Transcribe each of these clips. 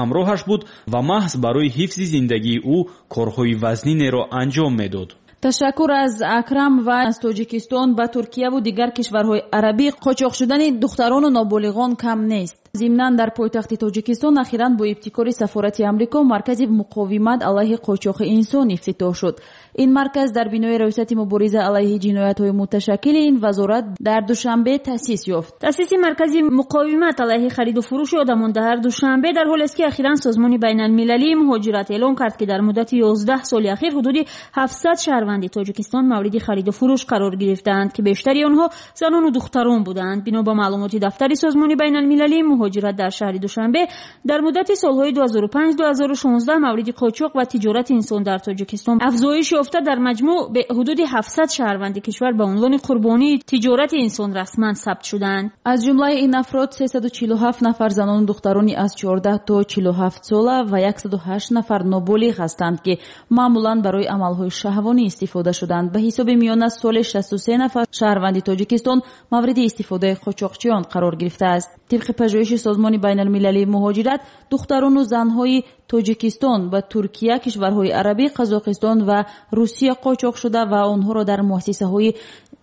Ҳамроҳаш буд ва маҳз барои ҳифзи зиндагии ӯ корҳои вазнинеро анҷом медод. Ташаккур аз Акрам. Ва аз Тоҷикистон ба Туркияву дигар кишварҳои арабӣ қочоқ шудани духтарону ноболиғон кам нест. Зимнан, дар пойтахти Тоҷикистон ахиран бо ибтикори сафорати Амрико маркази муқовимат алайҳи қочоқи инсон ифтитоҳ шуд. Ин марказ дар бинои Раёсати мубориза алайҳи ҷиноятҳои муташаккили ин вазорат дар Душанбе таъсис ёфт. Таъсиси маркази муқовимат алайҳи хариду фурӯши одамон дар Душанбе дар ҳолест, ки ахиран Созмони байналмилалии муҳоҷират эълон кард, ки дар муддати 11 соли ахир ҳудуди 700 шаҳрванди Тоҷикистон мавриди хариду фурӯш қарор гирифтаанд, ки бештари онҳо занону духтарон буданд. Бино ба маълумоти дафтари Созмони байналмилалии муҳоҷират, дар шаҳри Душанбе дар муддати солҳои 2005-2016 мавриди қочоқ ва тиҷорати инсон дар Тоҷикистон афзоиш ёфта, дар маҷмӯъ ҳудуди 700 шаҳрванди кишвар ба унвони қурбонии тиҷорати инсон расман сабт шуданд. Аз ҷумлаи ин афрод 347 нафар занону духтарони аз 14 то 47 сола ва 108 нафар ноболиғ ҳастанд, ки маъмулан барои амалҳои шаҳвонӣ истифода шуданд. Ба ҳисоби миёна соли 63 нафар шаҳрванди Тоҷикистон мавриди истифодаи қочоқчиён қарор гирифтааст. Тибқи пажӯҳиши Созмони байналмилалии муҳоҷират, духтарону занҳои Тоҷикистон ба Туркия, кишварҳои арабӣ, Қазоқистон ва Русия қочоқ шуда ва онҳоро дар муассисаҳои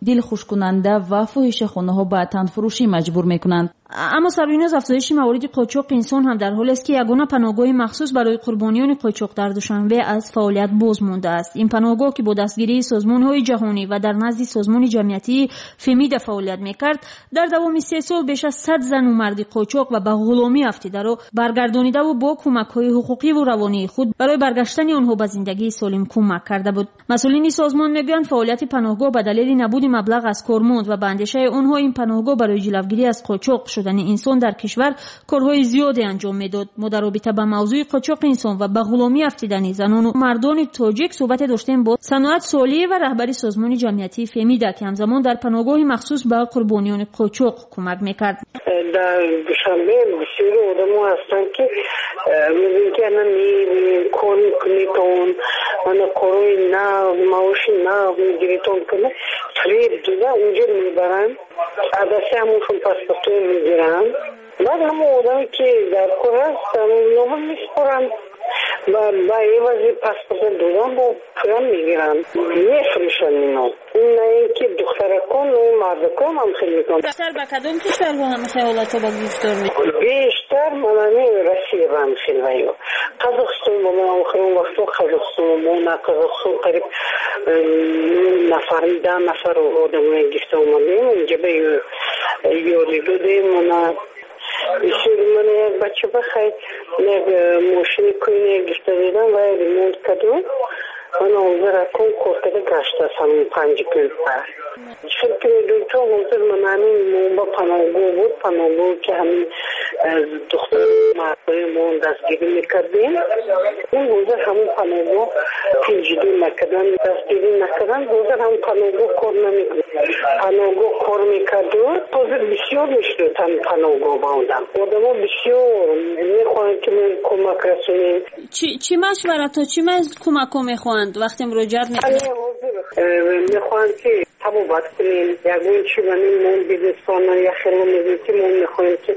дилхушкунанда ва фоҳишахонаҳо ба танфурӯшӣ маҷбур мекунанд. Аммо, Сабриноз, афзоиши мавориди қочоқи инсон ҳам дар ҳолест, ки ягона паноҳгоҳи махсус барои қурбониёни қочоқ дар Душанбе аз фаъолият боз мондааст. Ин паноҳгоҳ, ки бо дастгирии созмонҳои ҷаҳонӣ ва дар назди созмони ҷамъиятии Фемида фаъолият мекард, дар давоми 3 сол беш аз 100 зану марди қочоқ ва ба ғуломӣ афтидаро баргардонидаву бо кӯмакҳои ҳуқуқиву равонии худ барои баргаштани онҳо ба зиндагии солим кӯмак карда буд. Масъулини созмон мегӯянд, фаъолияти паноҳгоҳ ба далели набуди маблағ аз кор монд ва ба андешаи онҳо ин паноҳгоҳ барои ҷилавгирӣ аз қочоқ шудани инсон дар кишвар корҳои зиёде анҷом медод. Мо дар робита ба мавзӯи қочоқи инсон ва ба ғуломӣ афтидани занону мардони тоҷик суҳбате доштем бо Саноат Солиева, раҳбари созмони ҷамъиятии Фемида, ки ҳамзамон дар паноҳгоҳи махсус ба қурбониёни қочоқ кӯмак мекард. Дар Душанбе бисёри одамо ҳастанд, ки мегӯянд, ки ана мебинем, кор мекунедон, ана корҳои нав, маоши нав мегиритон, куна фиреб дода унҷо мебаранд, адасти ҳамоншон паспортҳоро мегиранд. Баъд ҳамон одаме, ки дар кор аст, ҳамоноҳо месупоранд ва ба эвази паспорта додан бо пулам мегиранд, мефурӯшанд. Ино на ин ки духтаракон, мардакон ҳам хел мекунанд. Бештар ба кадом кишварҳо ҳамин ҳолатҳо ба гирифтор? Бештар манами Россия ба ҳам хел ваё Қазоқистон ба мо охирон вақтҳо Қазоқистон мо на Қазоқистон қариб нафар, 10 нафар одамоя гирифта омадем, инҷа ба ёрӣ додем. Мана бисёри, мана як бача ба хай як мошини кӯйне гирифта додам ва ремонт кардем. Мана ҳозир акун кор карда гаштааст ҳамин 5 кун. Хел ки медонӣ, то ҳозир мана ҳамин мо ба паноҳгоҳ буд, паноҳгоҳ, ки ҳамин духтар мардои мо дастгирӣ мекардем, ҳозир ҳамон паноҳгоҳ пул ҷудо накардан, дастгирӣ накардан, ҳозир ҳамон паноҳгоҳ кор намекунад. Паноҳгоҳ кор мекарду ҳозир бисёр мешуд. Ҳамин паноҳгоҳ ба одам одамо бисёр мехоҳанд, ки мо кӯмак расонем. Чӣ машваратҳо, чӣ кӯмакҳо мехоҳанд, вақте муроҷиат мекунанд? Ҳозир мехоҳанд, ки табобат кунем, ягон чи манин мо бизнесплан яхело мегӯем, ки мо мехоҳем, ки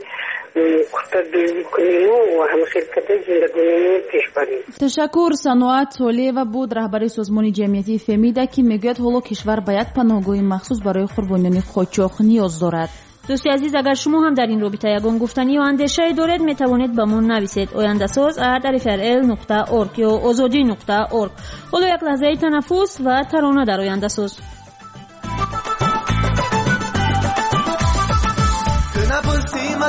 куртадӯзӣ кунему ҳамхел карда зиндагонимон пеш барем. Ташаккур. Саноат Солиева буд, раҳбари созмони ҷамъиятии Фемида, ки мегӯяд, ҳоло кишвар ба як паноҳгоҳи махсус барои қурбониёни қочоқ ниёз дорад. Дӯсти азиз, агар шумо ҳам дар ин робита ягон гуфтанӣ ё андешае доред, метавонед ба мо нависед: ояндасоз@rfrl.org ё озодӣ.org. Ҳоло як лаҳзаи танаффус ва тарона дар Ояндасоз.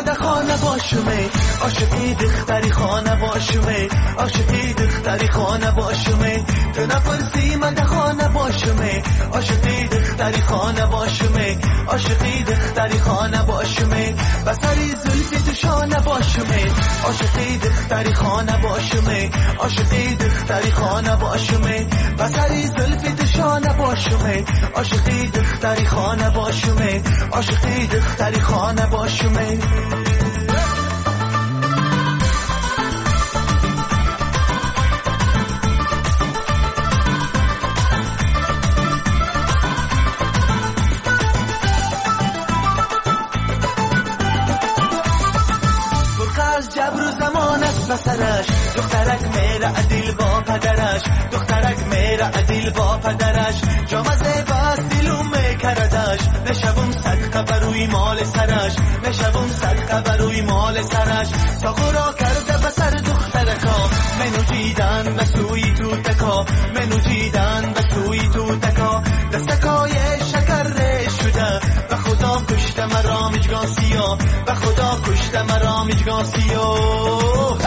Да хона бошуме, عاشقی دختری خانه باشومه، عاشقی دختری خانه باشومه. تو نپرسی من ده خانه باشومه، عاشقی دختری خانه باشومه، عاشقی دختری خانه باشومه. بسری زلفی تو شانه باشومه، عاشقی دختری خانه باشومه، عاشقی دختری خانه باشومه. بسری زلفی تو شانه باشومه، عاشقی دختری خانه باشومه، عاشقی دختری خانه باشومه. سرش، دخترک میره عدیل با پدرش، دخترک میره عدیل با پدرش، جامزه باز دلو میکردش، میشوم صدقه بروی مال سرش، میشوم صدقه بروی مال سرش، ساغورا کرده به سر دخترکا، منو دیدن به سوی توتکا، منو دیدن به سوی توتکا، دستکای شکر شده، به خدا کشته مرا مژگان سیاه، به خدا کشته مرا مژگان سیاه.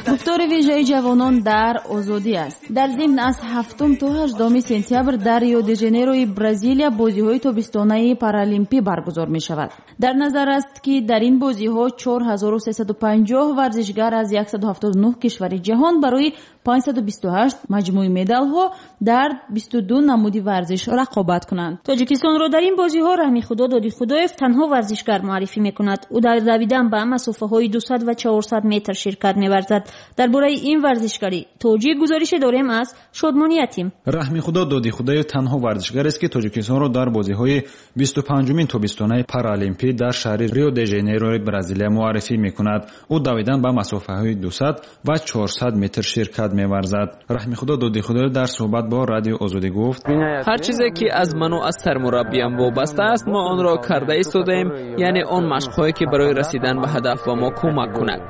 Гуфтори вижаи ҷавонон дар озодӣ аст. Дар зимн аз 7 то 8 сентябр дар Рио-де-Жанейрои Бразилия бозиҳои тобистонаи паралимпӣ баргузор мешавад. Дар назар аст, ки дар ин бозиҳо 4350 варзишгар аз 179 кишвари ҷаҳон барои 528 маҷмӯи медалҳо дар 22 намуди варзиш рақобат кунанд. Тоҷикистонро дар ин бозиҳо Раҳмихудо Додихудоев танҳо варзишгар муаррифӣ мекунад. Ӯ дар давидан ба масофаҳои 200 ва 400 метр ширкат меварзад. Дар бораи ин варзишгари тоҷик гузорише дорем аз Шодмониятим. Раҳмихудо Додихудоев танҳо варзишгарест, ки Тоҷикистонро дар бозиҳои 25-умин тобистонаи паралимпӣ дар шаҳри Рио-де-Жанейрои Бразилия муаррифӣ мекунад. Ӯ давидан ба масофаҳои 200 ва 400 метр ширкат меварзад. Раҳмихудо Додихудоев дар суҳбат бо Радиои Озодӣ гуфт: ҳар чизе ки аз ману аз сармураббиям вобаста аст, мо онро карда истодаем, яъне он машқҳое ки барои расидан ба ҳадаф ба мо кӯмак кунад.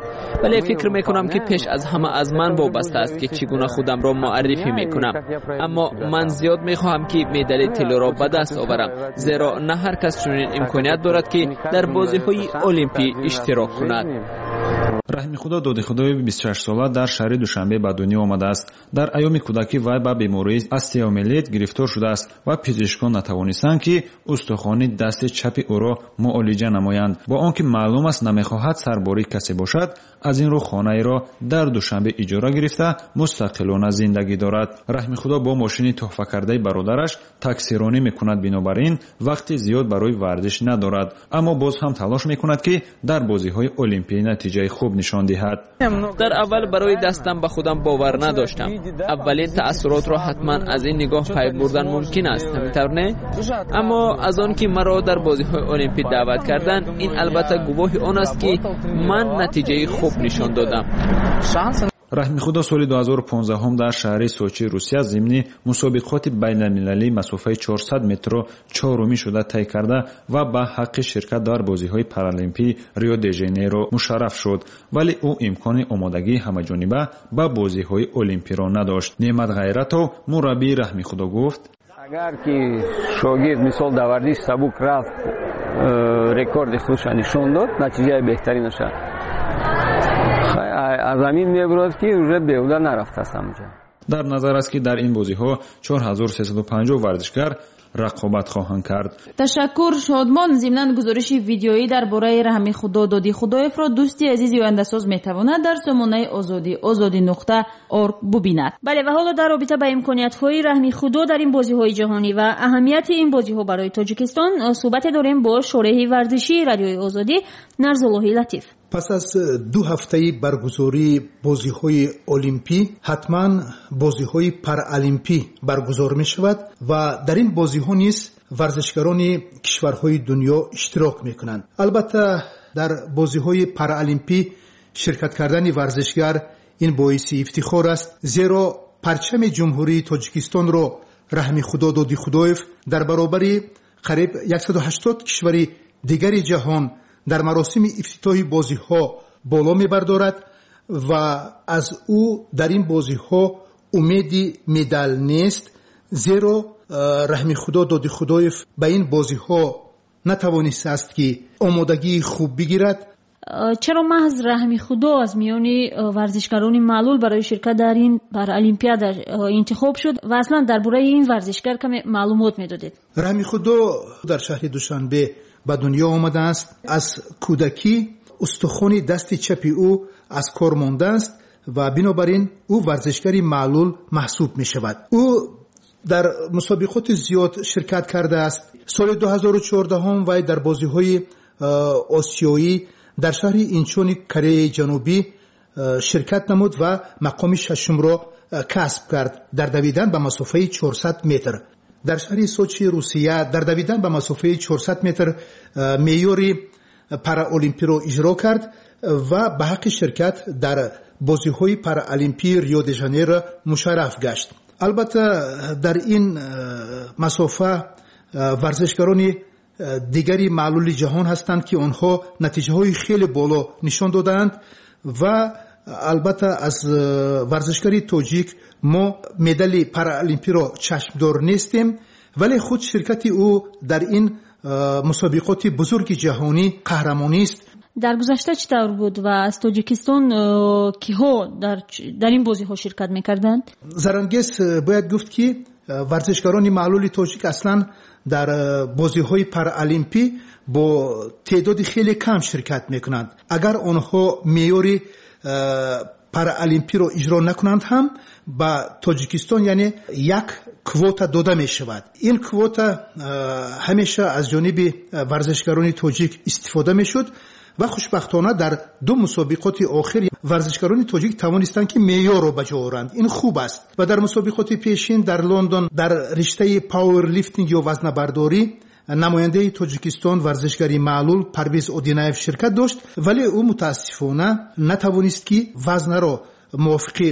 Вале фикр мекунам, ки пеш аз ҳама аз ман вобаста аст, ки чӣ гуна худамро муаррифӣ мекунам. Аммо ман зиёд мехоҳам, ки медали тиллоро ба даст оварам, зеро на ҳар кас чунин имконият дорад, ки дар бозиҳои олимпӣ иштирок кунад. Раҳмихудо Додихудоев 26сола дар шаҳри Душанбе ба дунё омадааст. Дар айёми кӯдакӣ вай ба бемории остеомиелит гирифтор шудааст ва пизишкон натавонистанд, ки устухони дасти чапи ӯро муолиҷа намоянд. Бо он ки маълум аст намехоҳад сарбории касе бошад, аз ин рӯ хонаеро дар Душанбе иҷора гирифта мустақилона зиндагӣ дорад. Раҳмихудо бо мошини тӯҳфакардаи бародараш таксиронӣ мекунад, бинобар ин вақти зиёд барои варзиш надорад, аммо боз ҳам талош мекунад, ки дар бозиҳои олимпӣ натиҷаи хуб нишон диҳад. Дар аввал барои дастам ба худам бовар надоштам. Аввалин таассуротро ҳатман аз ин нигоҳ пай бурдан мумкин аст, ҳаминтавр не? Аммо аз он ки маро дар бозиҳои олимпӣ даъват карданд, ин албатта гувоҳи он аст, ки ман натиҷаи хуб нишон додам. Раҳмихудо соли 2015 дар шаҳри Сочи Русия зимни мусобиқоти байналмилалии масофаи 400 метрро чорумӣ шуда тай карда ва ба ҳаққи ширкат дар бозиҳои паралимпии Рио-де-Жанейро мушарраф шуд, вале ӯ имкони омодагии ҳамаҷониба ба бозиҳои олимпиро надошт. Неъмат Ғайратов, мураббии Раҳмихудо, гуфт: агар ки шогирд мисол дар варзиши сабук рафт, рекорди худша нишон дод, натиҷаи беҳтаринаша аз ҳамин мебурад, ки уже беҳуда нарафтааст ҳамҷо. Дар назар аст, ки дар ин бозиҳо 4350 варзишгар рақобат хоҳанд кард. Ташаккур, Шодмон. Зимнан гузориши видеоӣ дар бораи Раҳмихудо Додихудоевро дӯсти азизи ояндасоз метавонад дар сомонаи Озодӣ озодӣ.org бубинад. Бале, ва ҳоло дар робита ба имкониятҳои Раҳмихудо дар ин бозиҳои ҷаҳонӣ ва аҳамияти ин бозиҳо барои Тоҷикистон суҳбате дорем бо шореҳи варзишии Радиои Озодӣ Нарзуллоҳи Латиф. Пас аз 2 ҳафтаи баргузории бозиҳои олимпӣ ҳатман бозиҳои паралимпӣ баргузор мешавад ва дар ин бозиҳо низ варзишгарони кишварҳои дунё иштирок мекунанд. Албатта, дар бозиҳои паралимпӣ ширкат кардани варзишгар ин боиси ифтихор аст, зеро парчами Ҷумҳурии Тоҷикистонро Раҳмихудо Додихудоев дар баробари қариб 180 кишвари дигари ҷаҳон дар маросими ифтитоҳи бозиҳо боло мебардорад ва аз ӯ дар ин бозиҳо умеди медал нест, зеро Раҳмихудо Додихудоев ба ин бозиҳо натавонистааст, ки омодагии хуб бигирад. Чаро маҳз Раҳмихудо аз миёни варзишгарони маълул барои ширкат дар ин паралимпиада интихоб шуд ва аслан дар бораи ин варзишгар каме маълумот медодед? Раҳмихудо дар шаҳри Душанбе ба дунё омадааст. Аз кӯдакӣ устухони дасти чапи ӯ аз кор мондааст ва бинобар ин ӯ варзишгари маълул маҳсуб мешавад. Ӯ дар мусобиқоти зиёд ширкат кардааст. Соли 2014 вай дар бозиҳои осиёӣ дар шаҳри Инчони Кореяи Ҷанубӣ ширкат намуд ва мақоми шашумро касб кард дар давидан ба масофаи 400 метр. Дар шаҳри Сочи Русия дар давидан ба масофаи 400 метр меъёри параолимпиро иҷро кард ва ба ҳаққи ширкат дар бозиҳои параолимпии Рио де Жанейро мушарраф гашт. Албатта, дар ин масофа варзишгарони дигари маълули ҷаҳон ҳастанд, ки онҳо натиҷаҳои хеле боло нишон додаанд ва албатта аз варзишгари тоҷик мо медали параолимпиро чашмдор нестем, вале худ ширкати ӯ дар ин мусобиқоти бузурги ҷаҳонӣ қаҳрамонист. Дар гузашта чӣ тавр буд ва аз Тоҷикистон киҳо дар ин бозиҳо ширкат мекарданд? Зарангез, бояд гуфт, ки варзишгарони маълули тоҷик аслан дар бозиҳои параолимпӣ бо теъдоди хеле кам ширкат мекунанд. Агар онҳо меъёри параолимпиро иҷро накунанд ҳам, ба Тоҷикистон яъне як квота дода мешавад. Ин квота ҳамеша аз ҷониби варзишгарони тоҷик истифода мешуд ва хушбахтона дар ду мусобиқоти охир варзишгарони тоҷик тавонистанд, ки меъёрро ба ҷо оранд. Ин хуб аст. Ва дар мусобиқоти пешин дар Лондон дар риштаи пауэрлифтинг ё вазнабардорӣ намояндаи Тоҷикистон, варзишгари маълул Парвиз Одинаев ширкат дошт, вале ӯ мутаассифона натавонист, ки вазнаро мувофиқи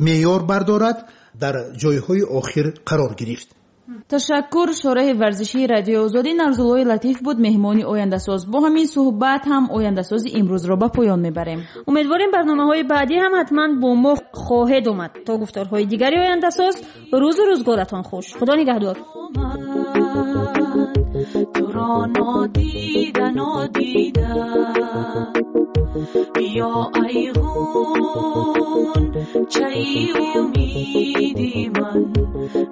меъёр бардорад, дар ҷойҳои охир қарор гирифт. Ташаккур. Шораҳи варзишии Радиои Озодӣ Нарзуллои Латиф буд меҳмони Ояндасоз. Бо ҳамин суҳбат ҳам Ояндасози имрӯзро ба поён мебарем. Умедворем, барномаҳои баъдӣ ҳам ҳатман бо мо хоҳед омад. То гуфторҳои дигари Ояндасоз, рӯзу рӯзгоратон хуш, Худо нигаҳдор. Туро нодида нодида, биё, айғун чаи умиди ман,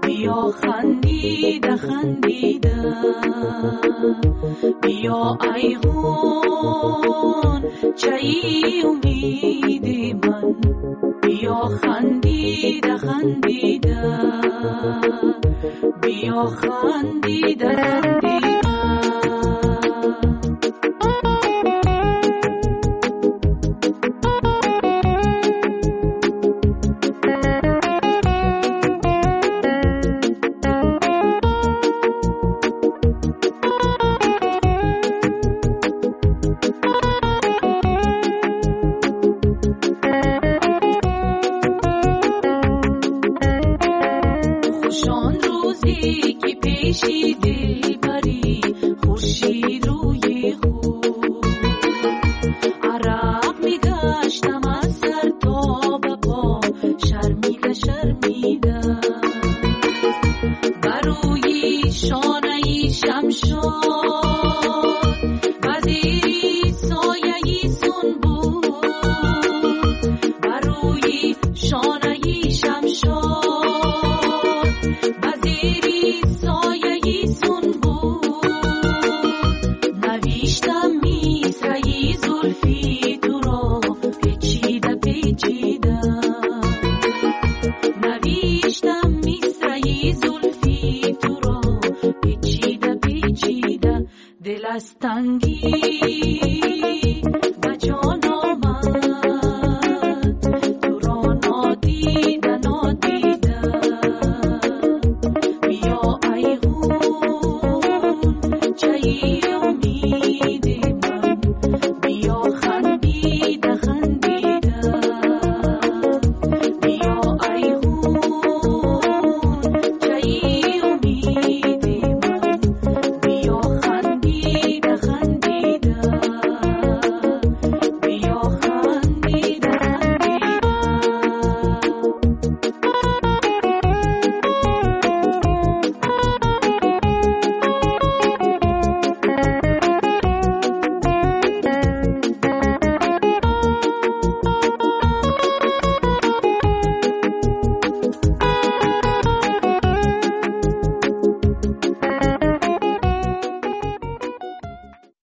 биё хандида хандида, биё, айғун чаи умиди ман, биё хандида хандида, биё хандида хандида. Хушон рӯзе ки пеши дилбарӣ хуршид рӯи худ, арақ мегаштам аз сар то ба по, шармида шармида, ба рӯи шонаи шамшод, ба зери сояи сунбул, ба рӯи шонаи шамшод, ба зери сояи сунбул, навиштам мисраи зулфи туро печида печида, навиштам мисраи зулфи туро печида печида, дил аз тангӣ ба ҷон.